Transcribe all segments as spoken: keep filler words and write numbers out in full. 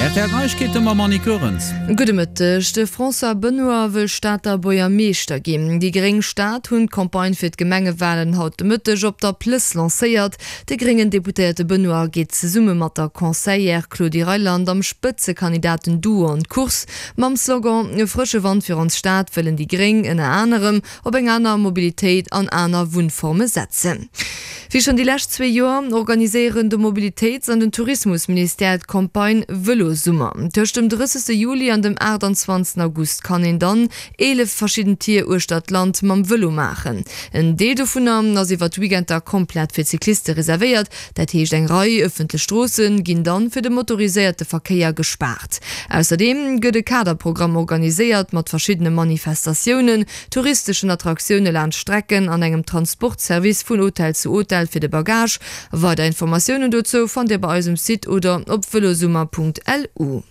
Rtl Neiegkeete mam Annick Goerens. Gudde Mëtteg. De François Benoy wëll Stater Buergermeeschter ginn. Déi gréng Stad hunn d'Campagne fir d'Gemengewalen haut de Mëtteg op der Plëss lancéiert. De gréngen Deputéierte Benoy geet zesumme mat der Conseillère Claudie Reyland am Spëtzekandidaten-Duo an d'Course. Mam Slogan E frësche Wand fir ons Stad wëllen déi gréng ënner anerem op eng aner Mobilitéit an aner Wunnforme setzen. Wéi schonn déi lescht zwee Joer organiséieren de Mobilitéits an den Tourismusministère d'Campagne Vëlosummer. Tëscht dem drëssegste Juli an dem aachtanzwanzegsten August kann een dann eelef verschidden Tier uechter d'Land mam Vëlo maachen. En Deel dovunner ass iwwer d'Weekender komplett fir Cycliste reservéiert. Dat heescht eng Rei ëffentlech Stroosse ginn dann fir de motoriséierte Verkéier gespaart. Ausserdeem gëtt e Kaderprogramm organiséiert mat verschiddene Manifestatiounen, touristeschen Attraktioune laanscht Strecken an engem Transportservice vun Hotel zu Hotel fir de Bagage. Weider Informatiounen dozou fannt Dir bei eis um Site oder op velosummer.lu.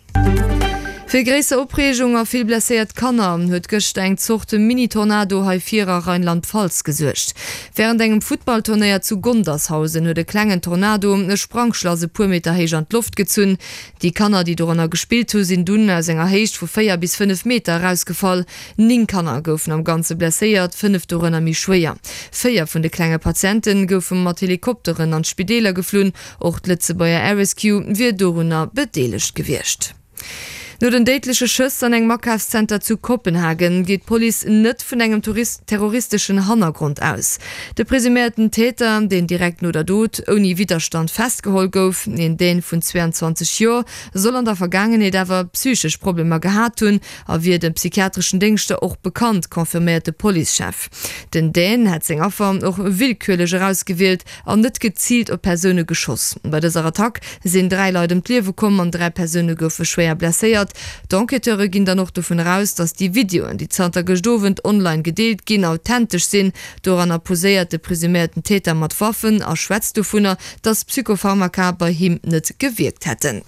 Fir gréisser Opreegung a vill blesséiert Kanner huet gëschter eng Zort Mini-Tornado hei vir a Rheinland-Pfalz gesuergt. Wärend engem Futtballturnéier zu Gondershausen huet e klengen Tornado e Sprangschlass e puer Meter héich an d'Loft gezunn. Déi Kanner, déi doranner gespillt hu sinn dunn aus enger Héicht vu véier bis fënnef Meter erausgefall. Néng Kanner goufen am Ganze blesséiert, fënnef dorënner méi schwéier. Véier vun de klenge Patiente goufe mat Helikopteren an d'Spideeler geflunn. Och d'Lëtzebuerger Air Rescue wier dorunner bedeelegt gewiescht. No den déidleche Schëss an engem Akafszenter zu Kopenhagen geet d'Police net vun engem terroristeschen Hannergrond aus. De presuméierten Täter, deen direkt no der Dot ouni Widderstand festgeholl gouf, een Dän vun zwee an zwanzeg Joer, soll an der Vergaangenheet awer psychesch Problemer gehat hunn a wier de psychiatreschen Déngschter och bekannt, confirméiert de Policechef. Den Dän hätt seng Affer och willkürlech erausgewielt an net geziilt op Persoune geschoss. Bei dëser Attack sinn dräi Leit ëm d'Liewe komm an dräi Persoune goufe schwéier blesséiert. D'Enquêteure ginn dann och dovun eraus, datt déi Videoen, déi zanter gëscht Owend online gedeelt ginn, authentesch sinn. Doranner poséiert de presuméierten Täter mat Waffen a schwätzt dovunner, datt Psychopharmaka bei him net gewierkt hätten.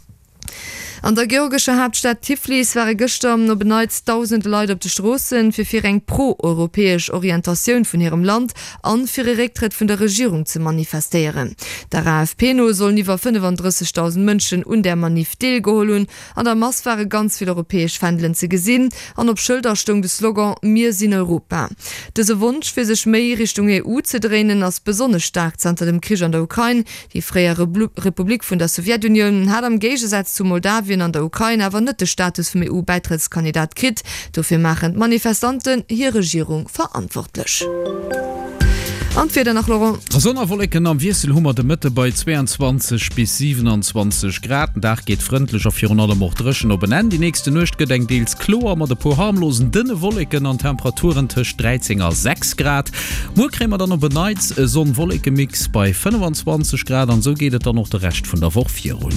An der georgescher Haaptstad Tiflis ware gëschter op en Neits dausende Leit op de Stroossen, fir fir eng pro-europäesch Orientatioun vun hirem Land an fir e Récktrëtt vun der Regierung ze manifestéieren. Der A F P no sollen iwwer fënnefandrëssegdausend Mënschen un där Maniff deelgeholl hunn. An der Mass ware ganz vill europäesch Fändelen ze gesinn an op Schëlder stoung de Slogan Mir sinn Europa. Dëse Wonsch, fir sech méi Richtung E U ze dréinen, ass besonnesch staark zanter dem Krich an der Ukrain. Déi fréier Republik vun der Sowjetunioun hat am Géigesaz zu Moldawien an der Ukrain awer net de Status vum E U-Bäitrëttskandidat kritt. Dofir maachen d'Manifestanten hir Regierung verantwortlech. An d'Wieder nach, Laurent? Sonn a Wolleken am Wiessel hu mer de Mëtte bei zweeanzwanzeg bis siwenanzwanzeg Grad. Den Dag geet frëndlech a virun allem och dréchen op en Enn. Déi nächste Nuecht gëtt eng deels kloer mat e puer harmlosen dënne Wolleken an Temperaturen tëscht dräizéng a sechs Grad. Muer kréie mer dann op en Neits e Sonn-Wolleke-Mix bei fënnefanzwanzeg Grad an esou geet et dann och de Rescht vun der Woch virun.